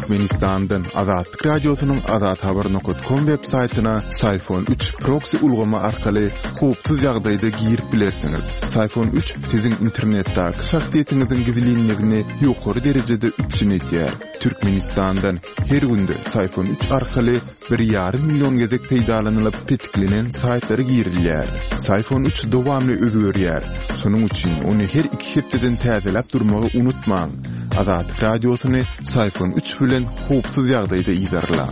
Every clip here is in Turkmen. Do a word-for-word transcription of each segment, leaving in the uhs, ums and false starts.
Türkmenistandan Azatlyk Radiosynyň azathabar nokat kom web saýtyna Syfon üç proksi ulgamy arkaly howpsuz ýagdaýda girip bilersiňiz. Syfon üç siziň internetdäki şahsyýetiňiziň gizlinligini ýokary derejede üpjün edýär. Türkmenistandan her günde Syfon üç arkaly bir ýarym million gezek peýdalanylyp petiklenen saýtlara girilýär. Syfon üç dowamly özgerýär. Şonuň üçin ony her iki hepdeden täzeläp durmagy unutmaň. Azatlyk Radiosyny Syfon üç bilen howpsuz ýagdaýda yzarlaň.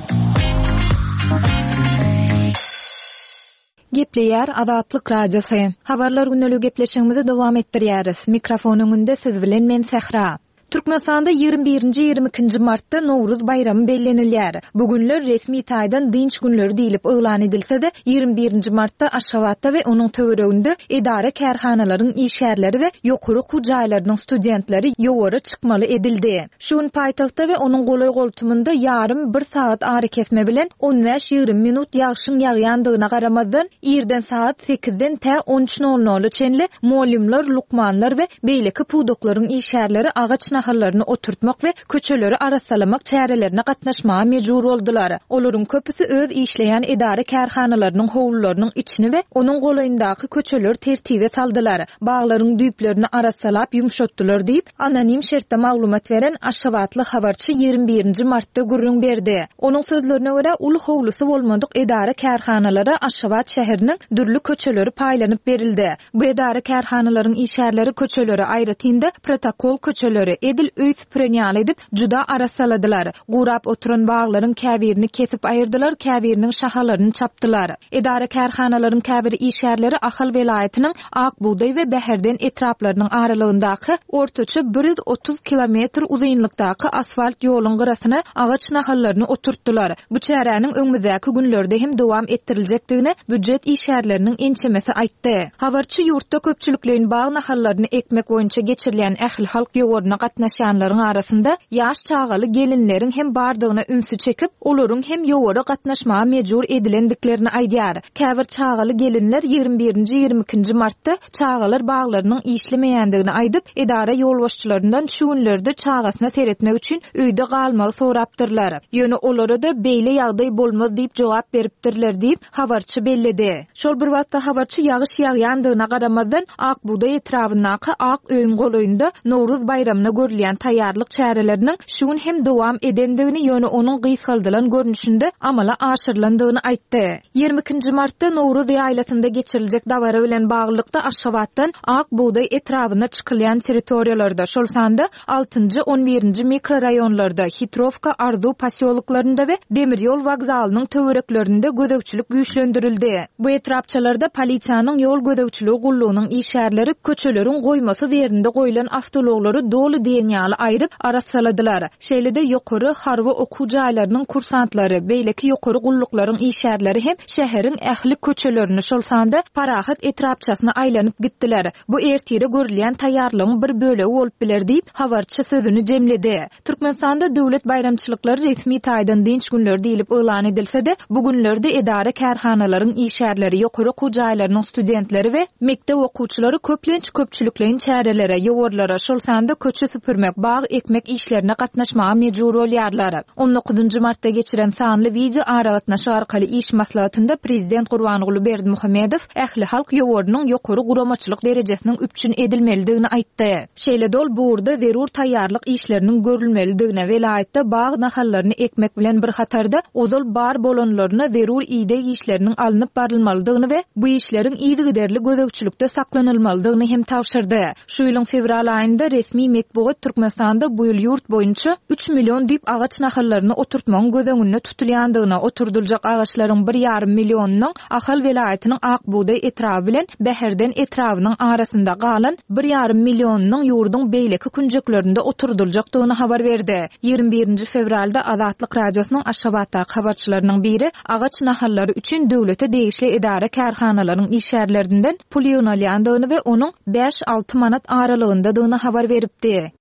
Gepleýär Azatlyk Radiosy. Habarlar günlügi gepleşigimizi dowam etdirýäris. Mikrofon öňünde siz bilen men Sähra. Türkmenistanda ýigrimi birinji ýigrimi ikinji martda Nowruz baýramy bellenilýär. Bu günler resmi taýdan dynç günleri diýlip yglan edilse-de, ýigrimi birinji martda Aşgabatda we onuň töwereginde edara-kärhanalaryň işgärleri we ýokary okuw jaýlarynyň studentleri ýowara çykmaly edildi. Şu gün paýtagtda we onuň golaý-goltumynda ýarym bir sagat arakesme bilen on bäş-ýigrimi minut ýagşyň ýagýandygyna garamazdan, irden sagat sekizden tä on üç nol nola çenli mugallymlar, lukmanlar we beýleki pudaklaryň işgärleri agaç nahallaryny oturtmak we köçeleri arassalamak çärelerine gatnaşmaga mejbur boldular. Olaryň köpüsi öz işleýän edara-kärhanalarynyň howlularynyň içini we onuň golaýyndaky köçeleri tertibe saldylar. Baglaryň düýplerini arassalap ýumşatdylar diýip, anonim şertde maglumat beren Aşgabatly habarçy ýigrimi birinji martda gürrüň berdi. Onuň sözlerine görä, uly howlusy bolmadyk edara-kärhanalara Aşgabat şäheriniň dürli köçeleri paýlanyp berildi. Bu edara-kärhanalaryň işgärleri köçeleri, aýratyn-da protokol köçeleri edil öý süpüren ýaly edip juda arassaladylar. Gurap oturan baglaryň käbirini kesip aýyrdylar, käbiriniň şahalaryny çapdylar. Edara-kärhanalaryň käbir işgärleri Ahal welaýatynyň Ak bugdaý we Bäherden etraplarynyň aralygyndaky ortaça bir ýüz otuz kilometr uzynlykdaky asfalt ýoluň gyrasyna agaç nahallaryny oturtdylar. Bu çäräniň öňümizdäki günlerde hem dowam etdiriljekdigini býujet işgärleriniň ençemesi aýtdy. Habarçy ýurtda köpçülikleýin bag nahallaryny ekmek boýunça geçirilýän ähli halk ýowaryna gatnaşýanlaryň arasynda ýaş çagaly gelinleriň hem bardygyna ünsi çekip, olaryň hem ýowara gatnaşmaga mejbur edilendiklerini aýdýar. Käbir çagaly gelinler ýigrimi birinji ýigrimi ikinji martda çagalar baglarynyň işlemeýändigini aýdyp, edara ýolbaşçylaryndan şu günlerde çagasyna seretmek üçin öýde galmagy sorapdyrlar. Ýöne olara da beýle ýagdaý bolmaz diýip jogap beripdirler diýip, habarçy belledi. Şol bir wagtda habarçy ýagyş ýagýandygyna garamazdan Ak bugdaý etrabyndaky Ak öýüň golaýynda Nowruz baýramyna görülýän taýýarlyk çäreleriniň şu gün hem dowam edendigini, ýöne onuň gysgaldylan görnüşinde amala aşyrylandygyny aýtdy. Ýigrimi ikinji martda Nowruz ýaýlasynda geçiriljek dabara bilen baglylykda Aşgabatdan Ak bugdaý etrabyna çykylýan territoriýalarda, şol sanda altynjy, on birinji mikroraýonlarda, Hitrowka, Arzuw posýoloklarynda we demir ýol wokzalynyň töwereklerinde gözegçilik güýçlendirildi. Bu etrapçalarda polisiýanyň ýol gözegçiligi gullugynyň işgärleri köçeleriň goýmasyz ýerinde goýlan awtoulaglary doly diýen ýaly aýryp arassaladylar. Şeýle-de ýokary harby okuw jaýlarynyň kursantlary, beýleki ýokary gulluklaryň işgärleri hem şäheriň ähli köçelerini, şol sanda Parahat etrapçasyna aýlanyp gitdiler. Bu ertire görülýän taýýarlygyň bir bölegi bolup biler diýip, habarçy sözüni jemledi. Türkmenistanda döwlet baýramçylyklary resmi taýdan dynç günleri diýlip yglan edilse-de, bu günlerde edara-kärhanalaryň işgärleri, ýokary okuw jaýlarynyň studentleri we mekdep okuwçylary köplenç köpçülikleýin çärelere, ýowarlara, şol sanda köçe süpürmek, bag ekmek işlerine gatnaşmaga mejbur bolýarlar. On dokuzynjy martda geçiren sanly video aragatnaşyk arkaly iş maslahatynda Prezident Gurbanguly Berdimuhamedow ähli halk ýowarynyň ýokary guramaçylyk derejesiniň üpjün edilmelidigini aýtdy. Şeýle dol bu ugurda zerur taýýarlyk işleriniň görülmelidigine, welaýatda bag nahallaryny ekmek bilen bir hatarda ozal bar bolanlaryna zerur ideg işleriniň alnyp barylmalydygyny we bu işleriň yzygiderli gözegçilikde saklanylmalydygyny hem tabşyrdy. Şu ýylyň fewral aýynda resmi metbugat Türkmenistanda bu ýyl ýurt boýunça üç million düýp agaç nahallaryny oturtmagyň göz öňünde tutulýandygyna, oturdyljak agaçlaryň bir ýarym millionynyň Ahal welaýatynyň Ak bugdaý etraby bilen Bäherden etrabynyň arasynda galan bir ýarym millionynyň ýurduň beýleki künjeklerinde oturdyljakdygyny habar berdi. Ýigrimi birinji fewralda Azatlyk Radiosynyň Aşgabatdaky habarçylarynyň biri agaç nahallary üçin döwlete degişli edara-kärhanalaryň işgärlerinden pul ýygnalýandygyny we onuň bäş-alty manat aralygyndadygyny habar beripdi.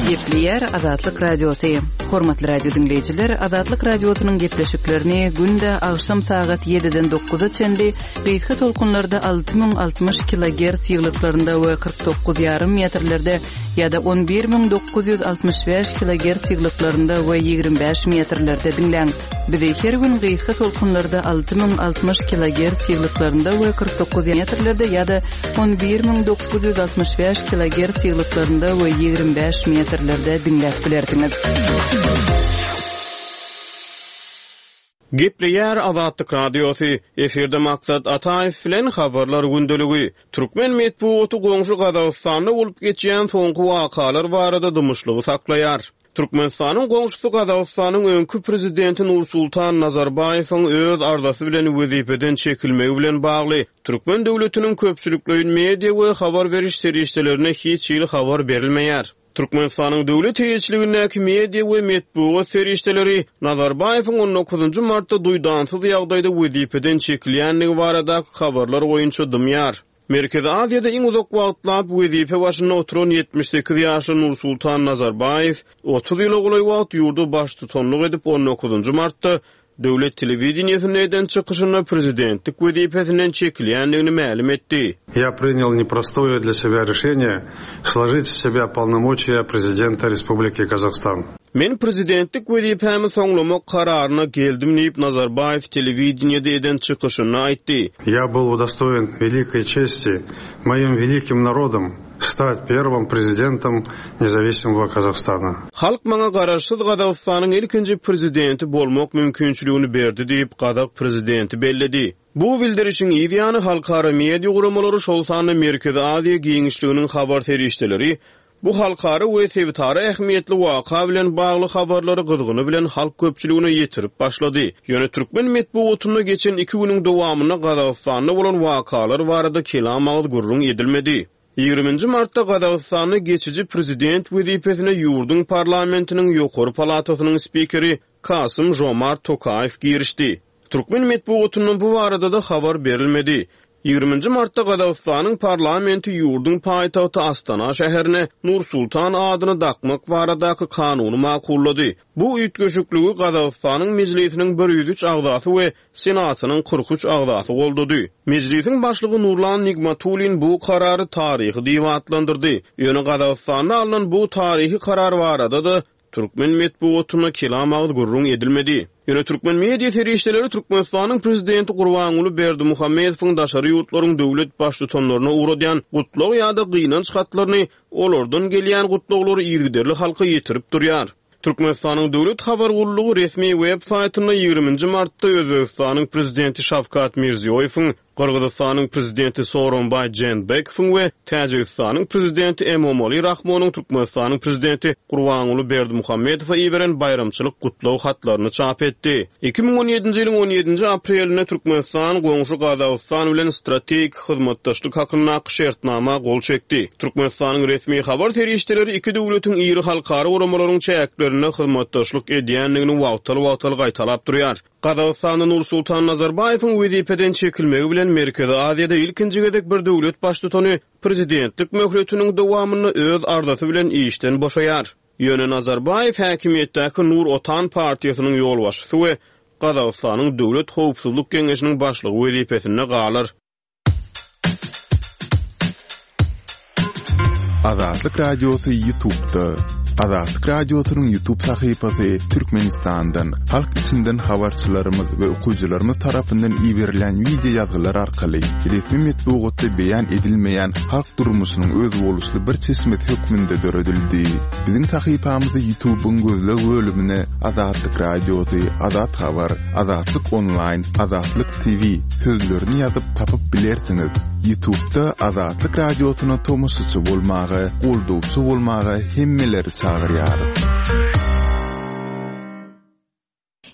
Gepleýär Azatlyk Radiosy. Hormatly radio dinleýjiler, Azatlyk Radiosynyň gepleşiklerini günde agşam sagat ýediden dokuza çenli gysga tolkunlarda alty müň altmyş kilogertz ýyglyklarynda we kyrk dokuz ýarym metrlerde ýa-da on bir müň dokuz ýüz altmyş bäş kilogertz ýyglyklarynda we ýigrimi bäş metrlerde diňläň. Bizi her gün gysga tolkunlarda alty müň altmyş kilogertz ýyglyklarynda we kyrk dokuz metrlerde ýa-da on bir müň dokuz ýüz altmyş bäş kilogertz ýyglyklarynda we ýigrimi bäş metrlerde diňläp bilersiňiz. Gepleýär Azatlyk Radiosy. Efirde Maksat Ataýew bilen habarlar gündeligi. Türkmen metbugaty goňşy Gazagystanda bolup geçýän soňky wakalar barada dymyşlygy saklaýar. Türkmenistanyň goňşusy Gazagystanyň öňki prezidenti Nursultan Nazarbaýewiň öz arzasy bilen wezipeden çekilmegi bilen bagly Türkmen döwletiniň köpçülikleýin media we habar beriş serişdelerine hiç hili habar berilmeýär. Türkmenistanyň döwlet eýeçiligindäki media we metbugat serişdeleri Nazarbaýewiň on dokuzynjy martda duýdansyz ýagdaýda wezipeden çekilýändigi baradaky habarlar boýunça dymýar. Merkezi Aziýada iň uzak wagtlap wezipe başynda oturan ýetmiş sekiz ýaşly Nursultan Nazarbaýew otuz ýyla golaý wagt ýurda baştutanlyk edip on dokuzynjy martda döwlet telewideniýesinde eden çykyşynda prezidentlik wezipesinden çekilýändigini mälim etdi. Я принял непростое для себя решение сложить с себя полномочия президента Республики Казахстан. Men prezidentlik wezipämi soňlamak kararyna geldim diýip Nazarbaýew telewideniýede eden çykyşynda aýtdy. Я был удостоен великой чести моим великим народом стать первым президентом независимого Казахстана. Halk maňa garaşsyz Gazagystanyň ilkinji prezidenti bolmak mümkinçiligini berdi diýip Gazak prezidenti belledi. Bu bildirişiň ýany halkara media guramalary şol sanda Merkezi Aziýa giňişliginiň habar serişdeleri bu halkara we sebitara ähmiýetli waka bilen bagly habarlary gyzgyny bilen halk köpçüligine ýetirip başlady. Ýöne Türkmen metbugatynda geçen iki günüň dowamynda Gazagystanda bolan wakalar barada kelam agyz gürrüň edilmedi. Ýigriminji martda Gazagystanda geçici prezident wezipesine ýurduň parlamentiniň ýokary palatasynyň spikeri Kasym Jomart Tokaýew girişdi. Türkmen metbugatyndan bu barada da habar berilmedi. Ýigriminji martda Gazagystanyň parlamenti ýurduň paýtagty Astana şäherine Nursultan adyny dakmak baradaky kanuny makullady. Bu üýtgeşikligi Gazagystanyň mejlisiniň bir ýüz üç agzasy we senatynyň kyrk üç agzasy goldady. Mejlisiň başlygy Nurlan Nigmatulin bu karary taryhy diýip atlandyrdy. Ýöne Gazagystanda alnan bu taryhy karar barada da Türkmen metbugatyna kelam agyz gürrüň edilmedi. Ýöne Türkmen media serişdeleri Türkmenistanyň prezidenti Gurbanguly Berdimuhamedowyň daşary ýurtlaryň döwlet baştutanlaryna ugradýan gutlag ýa-da gynanç hatlaryny olardan gelýän gutlaglary yzygiderli halka ýetirip durýar. Türkmenistanyň döwlet habar gullugy resmi web saýtynda ýigriminji martda Özbekistanyň prezidenti Şawkat Mirziýoýewiň, Gyrgyzystanyň prezidenti Sooronbaý Jeenbekowyň we Täjigistanyň prezidenti Emomali Rahmonyň Türkmenistanyň prezidenti Gurbanguly Berdimuhamedowa iberen baýramçylyk gutlag hatlaryny çap etdi. Iki müň on ýedinji ýylyň on ýedinji aprelinde Türkmenistan goňşy Gazagystan bilen strategik hyzmatdaşlyk hakyndaky şertnama gol çekdi. Türkmenistanyň resmi habar serişdeleri iki döwletiň iri halkara guramalaryň çäklerinde hyzmatdaşlyk edýändigini wagtal-wagtal gaýtalap durýar. Gazagystanda Nursultan Nazarbaýewiň wezipeden çekilmegi bilen Merkezi Aziýada ilkinji gezek bir döwlet baştutany prezidentlik möhletiniň dowamynda öz arzasy bilen işden boşaýar. Ýöne Nazarbaýew häkimiýetdäki Nur Otan partiýasynyň ýolbaşçysy we Gazagystanyň Döwlet Howpsuzlyk Geňeşiniň başlygy wezipesinde galar. Azatlyk Radiosy YouTube'da. Azatlyk Radiosynyň YouTube sahypasy Türkmenistandan, halk içinden habarçylarymyz we okyjylarymyz tarapyndan iberilen video ýazgylar arkaly resmi metbugatda beýan edilmeýän halk durmuşynyň özboluşly bir çeşmesi hökmünde döredildi. Biziň sahypamyzy YouTube'yň gözleg bölümine Azatlyk Radiosy, Azat Habar, Azatlyk Online, Azatlyk T V sözlerini ýazyp tapyp bilersiňiz. YouTube'da Azatlyk Radiosyna tomaşaçy bolmagy, goldawçy bolmagy hemmeleri çagyrýarys.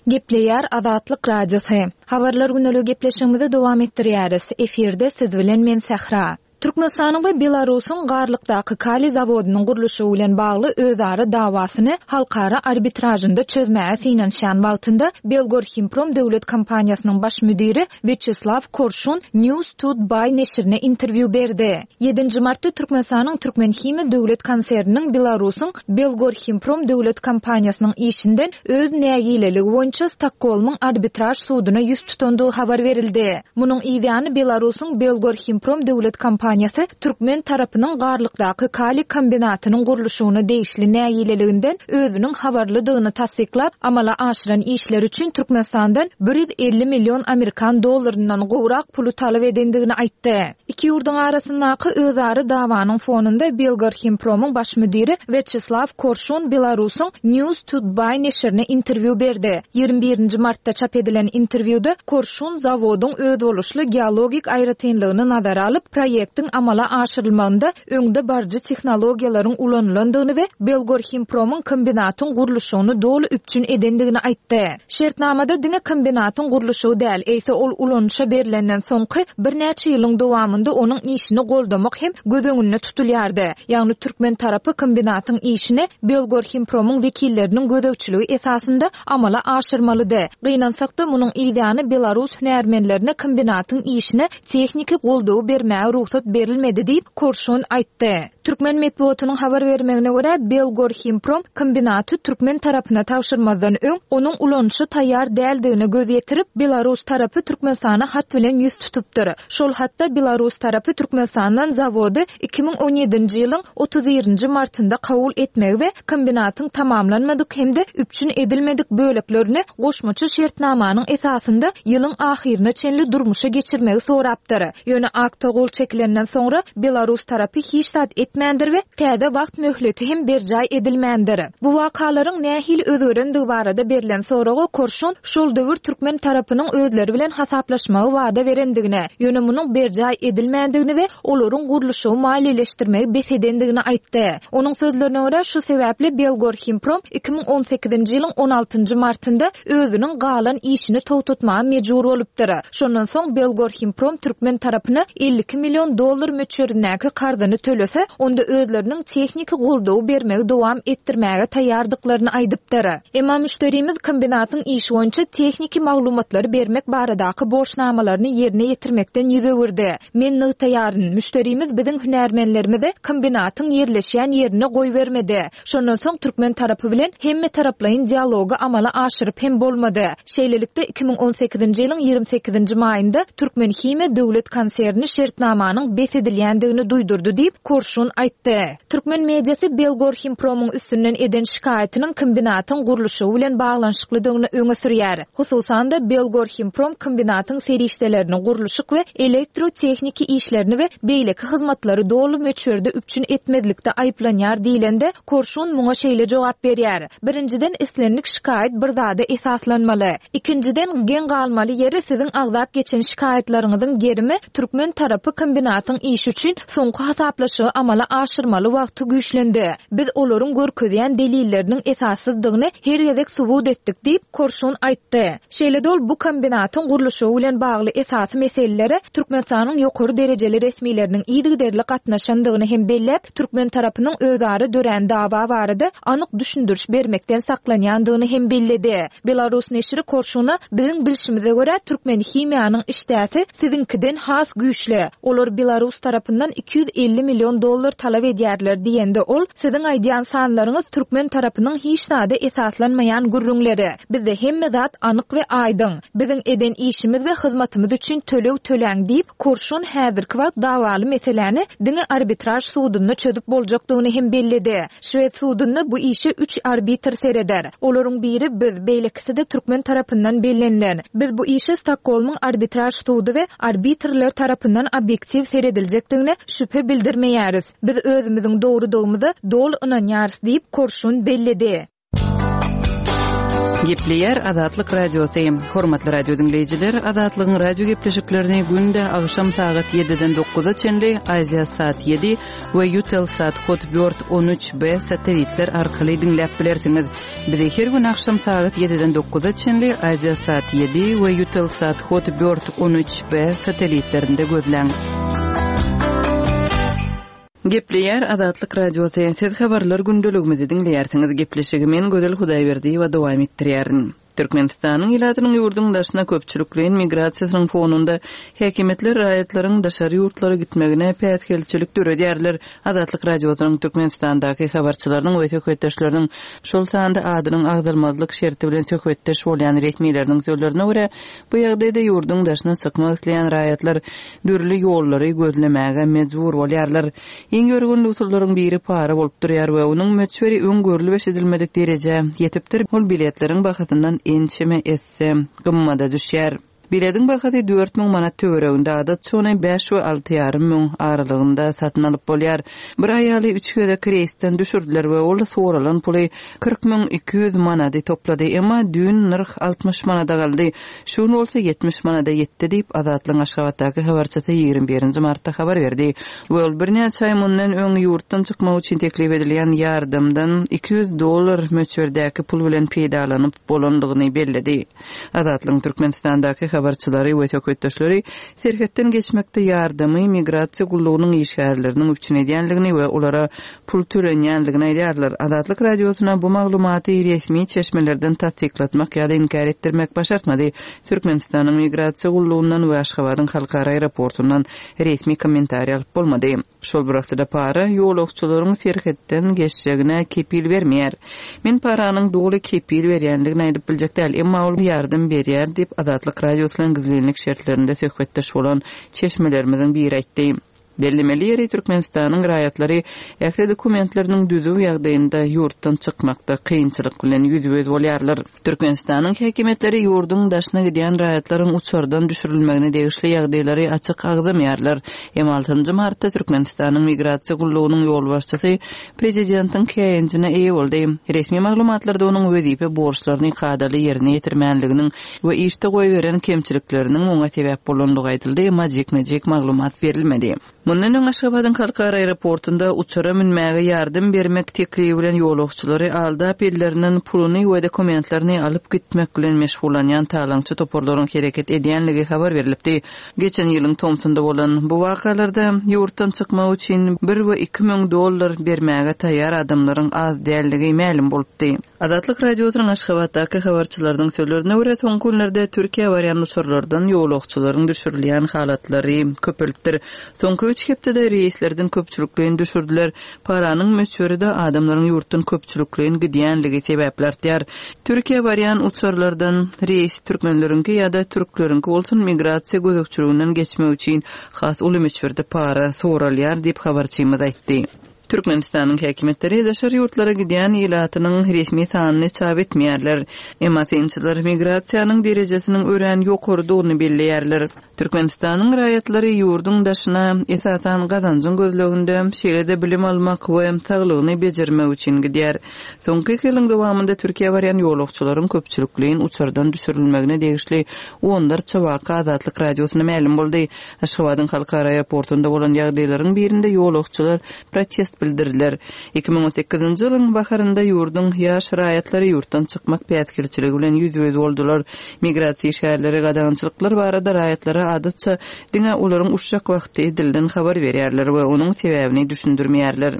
Gepleýär Azatlyk Radiosy. Habarlar güneligi gepleşigimizi dowam etdirýäris. Efirde siz bilen men Sähra. Türkmenistanyň we Belarusyň Garlykdaky kaliý zawodynyň gurluşygy bilen bagly özara dawasyny halkara arbitražynda çözmäge synanyşýan wagtynda Belgorhimprom döwlet kompaniýasynyň baş müdiri Wýaçeslaw Korşun News to Buy neşirine interwýu berdi. Ýedinji martda Türkmenistanyň Türkmenhimiýa döwlet konserniniň Belarusyň Belgorhimprom döwlet kompaniýasynyň işinden öz nägileligi boýunça Stokgolmyň arbitraž suduna ýüz tutandygy habar berildi. Munuň yzýany Belarusyň Belgorhimprom döwlet kompaniýasy türkmen tarapynyň Garlykdaky kaliý kombinatynyň gurluşygyna degişli nägileliginden özüniň habarlydygyny tassyklap, amala aşyran işleri üçin Türkmenistandan bir ýüz elli million amerikan dollaryndan gowrak puly talap edendigini aýtdy. Iki ýurduň arasyndaky özara dawanyň fonunda Belgorhimpromyň baş müdiri Wýaçeslaw Korşun Belarusyň News to Buy neşirine interwýu berdi. Ýigrimi birinji martda çap edilen interwýuda Korşun zawodyň özboluşly geologik aýratynlygyny nazara alyp, proýektiň amala aşyrylmagynda öňde baryjy tehnologiýalaryň ulanylandygyny we Belgorhimpromyň kombinatyň gurluşygyny doly üpjün edendigini aýtdy. Şertnamada diňe kombinatyň gurluşygy däl, eýse ol ulanyşa berlenden soňky birnäçe ýylyň dowamynda onuň işini goldamak hem göz öňünde tutulýardy. Ýagny türkmen tarapy kombinatyň işini Belgorhimpromyň wekilleriniň gözegçiligi esasynda amala aşyrmalydy. Gynansak-da, munuň yzýany belarus hünärmenlerine kombinatyň işine tehniki goldawy bermäge rugsat berilmedi diýip, Korşun aýtdy. Türkmen metbugatynyň habar bermegine görä, Belgorhimprom kombinaty türkmen tarapyna tabşyrmazdan öň, onuň ulanyşa taýýar däldigine göz ýetirip, belarus tarapy Türkmenistana hat bilen ýüz tutupdyr. Şol hatda belarus tarapy Türkmenistandan zawody iki müň on ýedinji ýylyň otuz birinji martynda kabul etmegi we kombinatyň tamamlanmadyk hem-de üpjün edilmedik böleklerini goşmaça şertnamanyň esasynda ýylyň ahyryna çenli durmuşa geçirmegi sorapdyr. Ýöne akta gol çekilenden soňra belarus tarapy hiç zat etmändir we täze wagt möhleti hem berjaý edilmändir. Bu wakalaryň nähili özgerendigi barada berlen soraga Korşun şol döwür türkmen tarapynyň özleri bilen hasaplaşmagy wada berendigine, ýöne munuň berjaý edilmändigini we olaryň gurluşygy maliýeleşdirmegi bes edendigini aýtdy. Onuň sözlerine görä, şu sebäpli Belgorhimprom iki müň on sekizinji ýylyň on altynjy martynda özüniň galan işini togtatmaga mejbur bolupdyr. Şondan soň Belgorhimprom türkmen tarapyna elli iki million dollar möçberindäki karzyny tölese, onda özleriniň tehniki goldawy bermegi dowam etdirmäge taýýardyklaryny aýdypdyr. Emma müşderimiz kombinatyň işi boýunça tehniki maglumatlary bermek baradaky borçnamalaryny ýerine ýetirmekden ýüz öwürdi. Men nygtaýaryn, müşderimiz biziň hünärmenlerimizi kombinatyň ýerleşýän ýerine goýbermedi. Şondan soň türkmen tarapy bilen hemme taraplaýyn dialogy amala aşyryp hem bolmady. Şeýlelikde iki müň on sekizinji ýylyň ýigrimi sekizinji maýynda Türkmenhimiýa döwlet konserni şertnamanyň bes edilýändigini duýdurdy diýip Korşun aýtdy. Türkmen mediasy Belgorhimpromyň üstünden eden şikaýatynyň kombinatyň gurluşygy bilen baglanyşyklydygyny öňe sürýär. Hususan-da Belgorhimprom kombinatyň serişdelerini gurluşyk we elektrotehniki işlerini we beýleki hyzmatlary doly möçberde üpjün etmezlikde aýyplanýar diýlende Korşun muňa şeýle jogap berýär. Birinjiden islendik şikaýat bir zada esaslanmaly. Ikinjiden geň galmaly ýeri siziň agzap geçen şikaýatlaryňyzyň gerimi türkmen tarapy kombinatyň işi üçin soňky hasaplaşygy amala aşyrmaly wagty güýçlendi. Biz olaryň görkezýän delilleriniň esassyzdygyny her gezek subut etdik diýip Korşun aýtdy. Şeýle dol bu kombinatyň gurluşygy bilen bagly esasy meselelere Türkmenistanyň ýokary derejeli resmileriniň yzygiderli gatnaşandygyny hem belläp, türkmen tarapynyň özara dörän dawa barada anyk düşündiriş bermekden saklanýandygyny hem belledi. Belarus neşiri Korşuna biziň bilşimize görä Türkmenhimiýanyň işdäsi siziňkiden has güýçli. Olar Belarus tarapyndan iki ýüz elli million dollar talap edýärler diýende ol siziň aýdýan sanlaryňyz türkmen tarapynyň hiç zada esaslanmaýan gürrüňleri. Bizde hemme zat anyk we aýdyň. Biziň eden işimiz we hyzmatymyz üçin töleg töläň diýip Korşun häzirki wagt dawaly meseläni diňe arbitraj sudunda çözüp boljakdygyny hem belledi. Şwed sudunda bu işe üç arbitr sereder. Olaryň biri biz, beýlekisi-de türkmen tarapyndan bellenilen. Biz bu işe Stokgolmyň arbitraj sudy we arbitrler tarapyndan obýektiw serediljekdigine şübhe bildirmeýäris. Biz özümiziň dogrudygymyza doly ynanýarys diýip Korşun belledi. Gepleýär Azatlyk Radiosy. Hormatly radio diňleýjiler, Azatlygyň radio gepleşiklerini günde agşam sagat ýediden dokuza çenli Aziýa saat ýedi we Eutelsat Hotbird on üç B satelitler arkaly diňläp bilersiňiz. Bizi her gün agşam sagat ýediden dokuza çenli Aziýa saat ýedi we Eutelsat Hotbird on üç B satelitlerinde gözläň. Gepleýär Azatlyk Radiosy. Siz habarlar gündeligimizi diňleýärsiňiz. Gepleşigi men Gözel Hudaýberdiýewa dowam etdirýärin. Türkmenistanyň ilatynyň ýurduň daşyna köpçülikleýin migrasiýasynyň fonunda häkimiýetler raýatlaryň daşary ýurtlara gitmegine päsgelçilik döredýärler. Azatlyk Radiosynyň Türkmenistandaky habarçylarynyň we söhbetdeşleriniň, şol sanda adynyň agzalmazlyk şerti bilen söhbetdeş bolýan resmileriniň sözlerine görä, bu ýagdaýda ýurduň daşyna çykmak isleýän raýatlar dürli ýollary gözlemäge mejbur bolýarlar. Iň ýörgünli usullaryň biri para bolup durýar we onuň möçberi öň görlüp eşidilmedik derejä ýetipdir. Ol biletleriň bahasyndan ençeme esse gymmada düşýär. Bilediň bahasy dört müň manat töwereginde, adatça ony bäş we alty ýarym müň aralygynda satyn alyp bolýar. Bir aýaly üç gezek reýsden düşürdiler we ol soralan puly kyrk müň iki ýüz manady toplady. Emma düýn nyrh altmyş manada galdy. Şu gün bolsa ýetmiş manada ýetdi diýip, Azatlygyň Aşgabatdaky habarçysy ýigrimi birinji martda habar berdi we ol birnäçe aý mundan öň ýurtdan çykmak üçin teklip edilýän ýardamdan iki ýüz dollar möçberdäki pul bilen peýdalanyp bolandygyny belledi. Azatlygyň Türkmenistandaky habarçylary we söhbetdeşleri serhetden geçmekde ýardamy migrasiýa gullugynyň işgärleriniň üpjün edýänligini we olara pul tölenýänligini aýdýarlar. Azatlyk Radiosyna bu maglumaty resmi çeşmelerden tassyklatmak ýa-da inkär etdirmek başartmady. Türkmenistanyň migrasiýa gullugyndan we Aşgabadyň halkara aeroportundan resmi kommentariý alyp bolmady. Şol bir wagtda para ýolagçylaryň serhetden geçjegine kepil bermeýär. Men paranyň doly kepil berýänligini aýdyp biljek däl, emma ol ýardam berýär diýip Azatlyk Radiosy bilen gizlinlik şertlerinde söhbetdeş bolan çeşmelerimiziň biri aýtdy. Bellemeli ýeri Türkmenistanyň raýatlary ähli dokumentleriniň düzüw ýagdaýynda ýurtdan çykmakda kynçylyk bilen ýüzbe-ýüz bolýarlar. Türkmenistanyň häkimiýetleri ýurduň daşyna gidýän raýatlaryň uçardan düşürilmegine degişli ýagdaýlary açyk agzamaýarlar. Emma altynjy martda Türkmenistanyň migrasiýa gullugynyň ýolbaşçysy prezidentiň käýinjine eýe boldy. Resmi maglumatlarda onuň wezipe borçlaryny kadaly ýerine ýetirmänliginiň we işde goýberen kemçilikleriniň oňa sebäp bolandygy aýdyldy, emma jikme-jik maglumat berilmedi. Mundan öň Aşgabadyň halkara aeroportunda uçara münmäge ýardam bermek teklibi bilen ýolagçylary aldap ellerinden puluny we dokumentlerini alyp gitmek bilen meşgullanýan talaňçy toparlaryň hereket edýänligi habar berilipdi. Geçen ýylyň tomsunda bolan bu wakalarda ýurtdan çykmak üçin bir we iki müň dollar bermäge taýýar adamlaryň az dälligi mälim bolupdy. Azatlyk Radiosynyň Aşgabatdaky habarçylarynyň sözlerine görä, soňky günlerde Türkiýä barýan uçarlardan ýolagçylaryň düşürilýän halatlary köpelipdir. Soňky üç hepdede reýslerden köpçülikleýin düşürdiler. Paranyň möçberi-de adamlaryň ýurtdan köpçülikleýin gidýänligi sebäpli artýar. Türkiýä barýan uçarlardan reýs türkmenleriňki ýa-da türkleriňki bolsun migrasiýa gözegçiliginden geçmek üçin has uly möçberde para soralýar diýip habarçymyz aýtdy. Türkmenistanyň häkimiýetleri daşary ýurtlara gidýän ilatynyň resmi sanyny çap etmeýärler. Emma synçylar migrasiýanyň derejesiniň örän ýokarydygyny belleýärler. Türkmenistanyň raýatlary ýurduň daşyna esasan gazanjyň gözleginde, şeýle-de bilim almak we saglygyny bejermek üçin gidýär. Soňky iki ýylyň dowamynda Türkiýä barýan ýolagçylaryň köpçülikleýin uçardan düşürilmegine degişli onlarça waka Azatlyk Radiosyna mälim boldy. Aşgabadyň halkara aeroportunda bolan ýagdaýlaryň birinde ýolagçylar protest bildirdiler. Iki müň on sekizinji ýylyň baharynda ýurduň ýaş raýatlary ýurtdan çykmak päsgelçiligi bilen ýüzbe-ýüz boldular. Migrasiýa işgärleri gadagançylyklar barada raýatlara adatça diňe olaryň uçjak wagty dilden habar berýärler we onuň sebäbini düşündirmeýärler.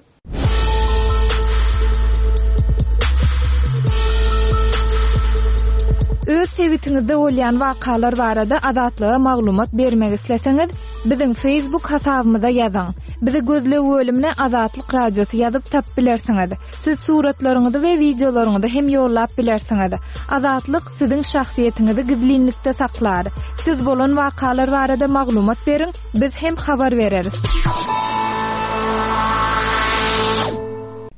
Öz sebitiňizde bolýan wakalar barada Azatlyga maglumat bermek isleseňiz, biziň Facebook hasabymyza ýazyň. Bizi gözleg bölümine Azatlyk Radiosy ýazyp tap bilersiňiz. Siz suratlaryňyzy we wideolaryňyzy hem ýollap bilersiňiz. Azatlyk siziň şahsyýetiňizi gizlinlikde saklar. Siz bolan wakalar barada maglumat beriň, biz hem habar bereris.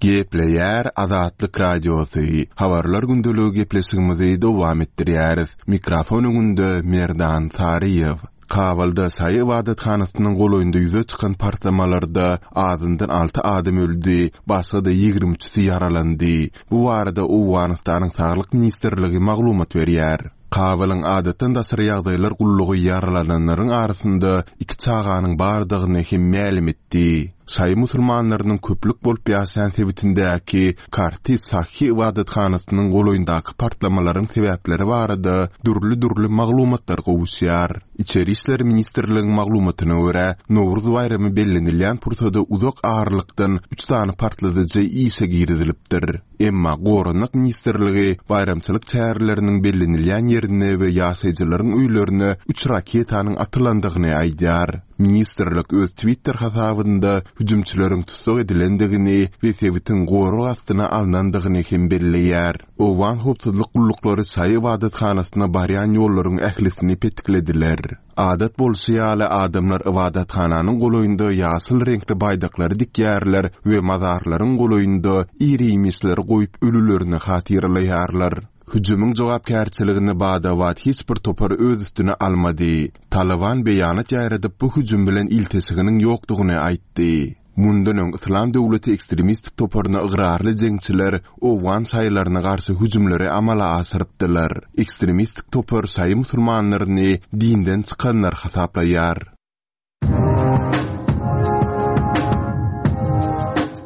Gepleýär Azatlyk Radiosy. Habarlar gündeligi gepleşigimizi dowam etdirýäris. Mikrofon öňünde Merdan Saryýew. Kabulda Şaýy ibadathanasynyň golaýynda ýüze çykan partlamalarda azyndan alty adam öldi, başga-da ýigrimi üçüsi ýaralandy. Bu barada Owganystanyň Saglyk ministrligi maglumat berýär. Kabulyň adatdan daşary ýagdaýlar gullugy ýaralananlaryň arasynda iki çaganyň bardygyny hem mälim etdi. Şaýy musulmanlarynyň köplük bolup ýaşaýan sebitindäki Karti Sahi ybadathanasynyň golaýyndaky partlamalaryň sebäpleri barada dürli-dürli maglumatlar gowuşýar. Içeri işler ministrliginiň maglumatyna görä, Nowruz baýramy bellenilýän pursada uzak aralykdan üç sany partladyjy işe girizilipdir. Emma Goranmak ministrligi baýramçylyk çäreleriniň bellenilýän ýerine we ýaşaýjylaryň öýlerine üç raketanyň atylandygyny aýdýar. Ministrlik öz Twitter hasabynda hüjümçileriň tussag edilendigini we sebitiň gorag astyna alnandygyny hem belleýär. Owgan howpsuzlyk gulluklary şaýy ybadathanasyna barýan ýollaryň ählisini petiklediler. Adat bolşy ýaly adamlar ybadathananyň golaýynda ýaşyl reňkli baýdaklary dikýärler we mazarlaryň golaýynda iri-iýmişleri goýup ölülerini hatyralaýarlar. Hüjümiň jogapkärçiligini bada-bat hiç bir topar öz üstüne almady. Taliban beýanat ýaýradyp bu hüjüm bilen ilteşiginiň ýokdugyny aýtdy. Mundan öň Yslam döwleti ekstremistik toparyna ygrarly jeňçiler Owgan şaýylaryna garşy hüjümleri amala aşyrypdylar. Ekstremistik topar şaýy musulmanlaryny dinden çykanlar hasaplaýar.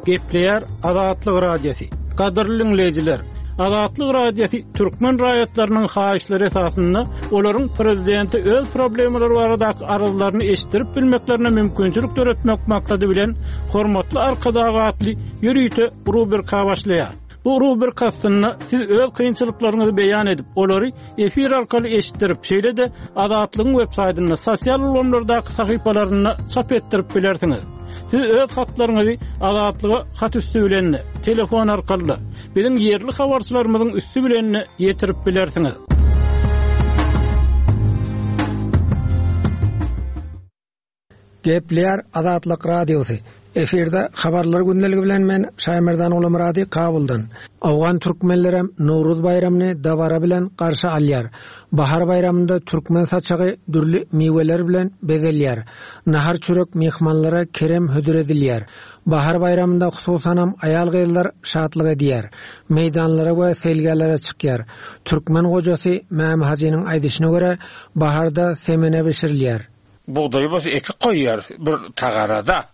Gepleýär Azatlyk Radiosy. Gadyrly dinleýjiler, Azatlyk Radiosy türkmen raýatlarynyň haýyşlary esasynda olaryň prezidenti öz problemalary baradaky arzlaryny eşitdirip bilmeklerine mümkinçilik döretmek maksady bilen hormatly Arkadag atly ýörite rubrika başlaýar. Bu rubrika astynda siz öz kynçylyklaryňyzy beýan edip, olary efir arkaly eşitdirip, şeýle-de Azatlygyň web saýtynda, sosial ulgamlardaky sahypalarynda çap etdirip bilersiňiz. Siz öz hatlaryňyzy Azatlyga hat üstü bilen, telefon arkaly, biziň ýerli habarçylarymyzyň üstü bilen ýetirip bilersiňiz. Gepleýär Azatlyk Radiosy. Efirde habarlar gündeligi bilen men Şaýmerdan Ulamyrady Kabuldan. Awgan türkmenlerem Nowruz baýramyny dabara bilen garşy alýar. Bahar baýramynda türkmen saçagy dürli miweler bilen bezelýär. Nahar çörek mehmanlara kerem hödür edilýär. Bahar baýramynda hususanam aýal gyzlar şatlyk edýär. Meýdanlara we selgelere çykýar. Türkmen gojasy Mämi Hajynyň aýdyşyna görä baharda semene bişirilýär. Buğdayı bolsa eki koyuyor bir tagarada.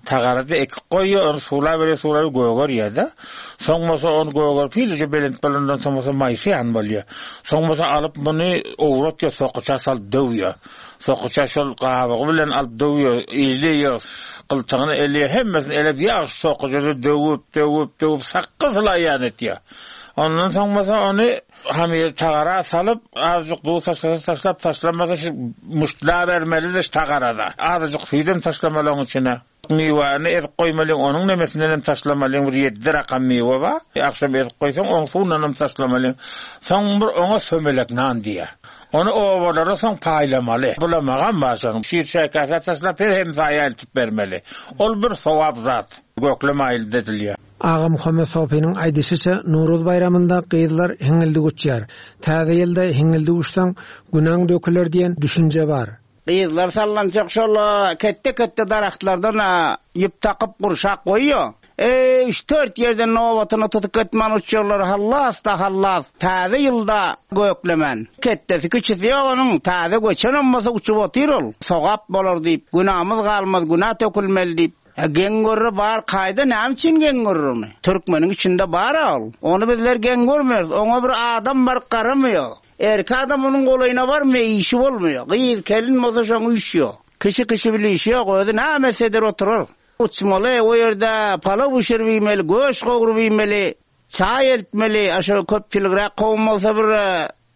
Tagarada eki koyuyor, onu sular veriyor, sular göger yerde. Soň bolsa onu göger pilice belent balondan soň bolsa mayısı yan bolýar. Soň bolsa alyp bunu owratýar, sokuça salyp döwýär. Sokuça şol gabygy bilen alyp döwýär, eýleýär, gyltygyny elýär, hemmesini elep ýagşy sokuçada döwüp, döwüp, döwüp sakgyz laýan etýär. Ondan soň bolsa onu hamir tagara salyp, azıcık duz taşlasa taşlap, taşlamasa şu muştla bermelidir tagarada. Azıcık süýdem taşlamaly onuň içine. Miwäni ezip goýmaly, onuň nemesinden hem taşlamaly, bir ýedi rakam miwe bar. Akşam ezip goýsaň, onuň suwundan hem taşlamaly. Soň bir oňa sömelek nan diýär. Onu owalara soň paýlamaly. Bulamagam bar şonuň. Şir şäkäse taşlap her hem saýa eltip bermeli. Ol bir sowap zat. Gökleme aýyl dedilýär. Aga Muhammed Sopynyň aýdyşyça Nowruz baýramynda gyzlar hiňňildik uçýar. Täze ýylda hiňňildik uçsaň günaň döküler diýen düşünje bar. Gyzlar sallançak şol ketde-ketde darahtlardan ýüp takyp gurşak goýýar. Eý, üç dört ýerden nobatyny tutup gitmän uçýarlar, hallas da hallas. Täze ýylda göklemen. Ketdesi kiçisi ýok onuň, täze göçenem bolsa uçup otyr ol. Sogap bolar diýip, günamyz galmaz, günä tökülmeli diýip. E, geň görür bar, kaýda näme üçin geň görür ony? Türkmeniň içinde bar ol. Ony bizler geň görmez. Oňa bir adam bar garamıyor. Erkek adam onun golaýyna barmıyor, işi bolmuyor. Gyz kelin bolsa şoň işi ýok. Kişi kişi bile işi ýok, özi näme eder oturur. Uçmaly, o ýerde palaw bişirip iýmeli, göş gowrup iýmeli, çaý eltmeli, aşa köpçüligräk kowum bolsa bir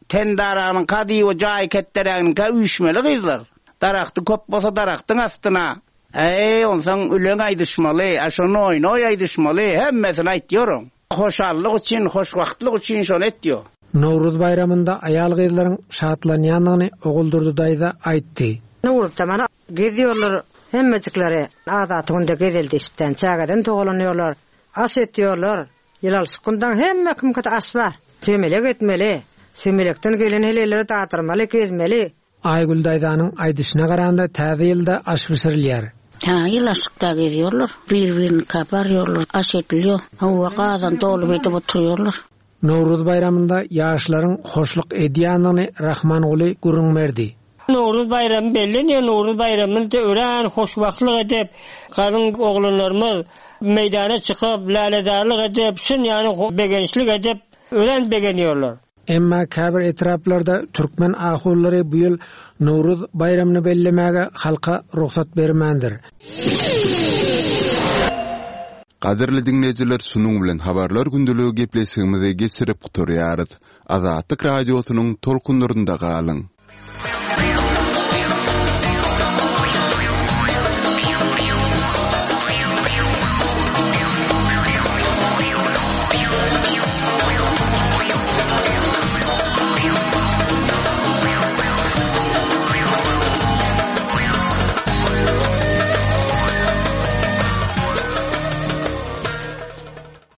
tendaranyň kady we jaý ketderäginiň ka üýşmeli gyzlar. Daragty köp bolsa daragtyň astyna. Ey, onsoň üleň aýdyşmaly, aşa noý-noý aýdyşmaly, hemmesini aýtýaryn. Hoşallyk üçin, hoşwagtlyk üçin şony etýär. Nowruz baýramynda aýal gyzlaryň şatlanýandygyny Oguldurdy daýza aýtdy. Nowruzda mana geziyorlar hemmejikleri adaty günde gezeldi işipden çägeden togalanýarlar, aş etýärler. Ýylalşyk gündan hemme kimkide aş bar. Sömelek etmeli, sömelekden gelen heleleri dadyrmaly, gezmeli. Aýgül daýzanyň aýdyşyna garanda täze ýylda aş bişirilýär. Ha, ýylaşykda geziyorlar, bir-birini kaparýarlar, aş ediliyor. Hawa gazan dolup edip oturýarlar. Nowruz baýramynda ýaşlaryň hoşluk edýändigini Rahmanguly gürrüň berdi. Nowruz baýramy bellenýär. Nowruz baýramyny örän hoşwagtlyk edip, galyň oglanlarymyz meýdana çykyp, lälezarlyk edip, şun ýaly begençlik edip, örän begenýärler. Emma käbir etraplarda türkmen ahullary bu ýyl Nowruz baýramyny bellemäge halka rugsat bermändir. Gadyrly diňleýjiler, şunuň bilen habarlar gündeligi gepleşigimizi geçirip gutarýarys. Azatlyk radiosynyň tolkunlarynda galyň.